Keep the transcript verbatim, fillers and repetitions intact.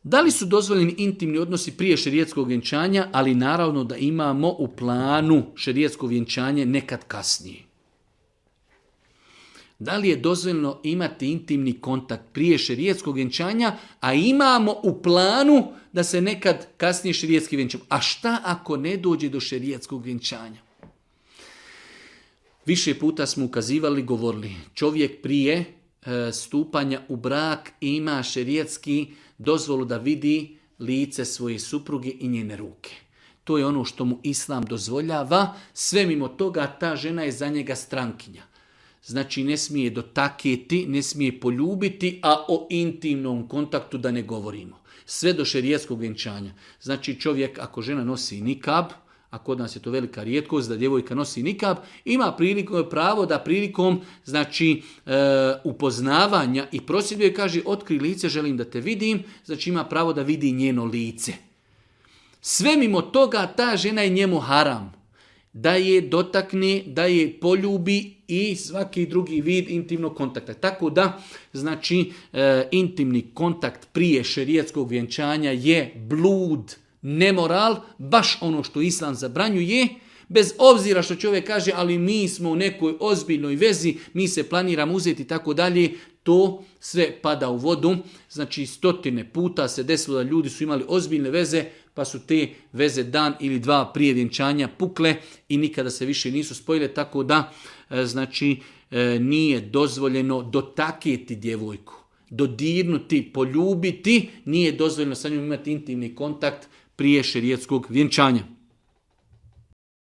Da li su dozvoljeni intimni odnosi prije šerijetskog vjenčanja, ali naravno da imamo u planu šerijetsko vjenčanje nekad kasnije. Da li je dozvoljeno imati intimni kontakt prije šerijetskog vjenčanja, a imamo u planu da se nekad kasnije šerijetski vjenčamo? A šta ako ne dođe do šerijetskog vjenčanja? Više puta smo ukazivali, govorili, čovjek prije e, stupanja u brak ima šerijetski dozvolu da vidi lice svoje supruge i njene ruke. To je ono što mu Islam dozvoljava, sve mimo toga ta žena je za njega strankinja. Znači ne smije dotaketi, ne smije poljubiti, a o intimnom kontaktu da ne govorimo. Sve do šerijetskog vjenčanja. Znači čovjek ako žena nosi nikab, a kod nas je to velika rijetkost da djevojka nosi nikab, ima priliku, pravo da prilikom znači, e, upoznavanja i prosjedbe kaže otkri lice, želim da te vidim, znači ima pravo da vidi njeno lice. Sve mimo toga ta žena je njemu haram. Da je dotakne, da je poljubi i svaki drugi vid intimnog kontakta. Tako da, znači, e, intimni kontakt prije šerijetskog vjenčanja je blud, nemoral, baš ono što Islam zabranjuje, bez obzira što čovjek kaže, ali mi smo u nekoj ozbiljnoj vezi, mi se planiramo uzeti i tako dalje, to sve pada u vodu. Znači stotine puta se desilo da ljudi su imali ozbiljne veze, pa su te veze dan ili dva prije vjenčanja pukle i nikada se više nisu spojile, tako da znači nije dozvoljeno dotaketi djevojku, dodirnuti, poljubiti, nije dozvoljeno sa njom imati intimni kontakt prije šerijetskog vjenčanja.